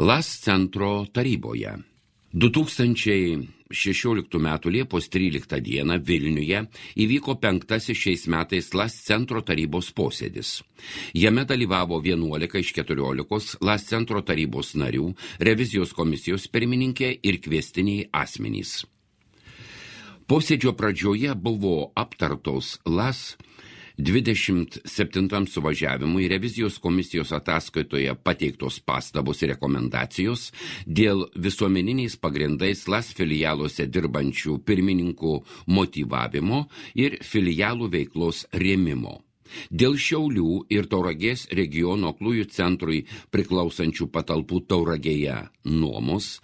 LAS centro taryboje. 2016 m. Liepos 13 d. Vilniuje įvyko 5. šiais metais LAS centro tarybos posėdis. Jame dalyvavo 11 iš 14 LAS centro tarybos narių, revizijos komisijos pirmininkė ir kviestiniai asmenys. Posėdžio pradžioje buvo aptartos LAS 27 suvažiavimui revizijos komisijos ataskaitoje pateiktos pastabos ir rekomendacijos dėl visuomeniniais pagrindais LAS filialuose dirbančių pirmininkų motyvavimo ir filialų veiklos rėmimo. Dėl Šiaulių ir Tauragės regiono aklųjų centrui priklausančių patalpų Tauragėje nuomos,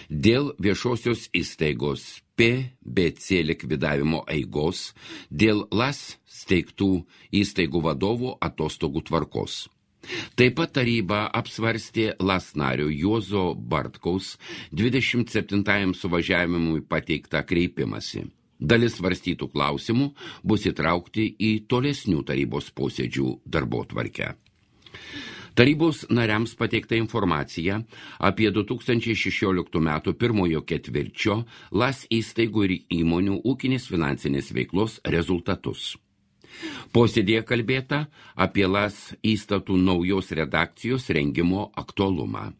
dėl viešosios įstaigos PBC likvidavimo eigos, dėl LAS steigtų įstaigų vadovų atostogų tvarkos. Taip pat taryba apsvarstė LAS nario Juozo Bartkaus 27 suvažiavimui pateiktą kreipimąsi. Dalis svarstytų klausimų bus įtraukti į tolesnių tarybos posėdžių darbotvarkę. Tarybos nariams pateikta informacija apie 2016 m. pirmojo ketvirčio LAS įstaigų ir įmonių ūkinės finansinės veiklos rezultatus. Posėdėje kalbėta apie LAS įstatų naujos redakcijos rengimo aktualumą.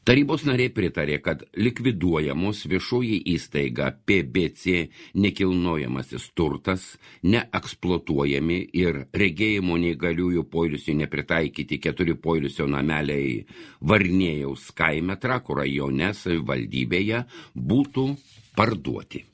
Tarybos nariai pritarė, kad likviduojamos viešoji įstaiga PBC nekilnojamasis turtas, neeksploatuojami ir regėjimo neįgaliųjų poilsiui nepritaikyti 4 poilsio nameliai Varnėjaus kaime Trakų rajone savivaldybėje būtų parduoti.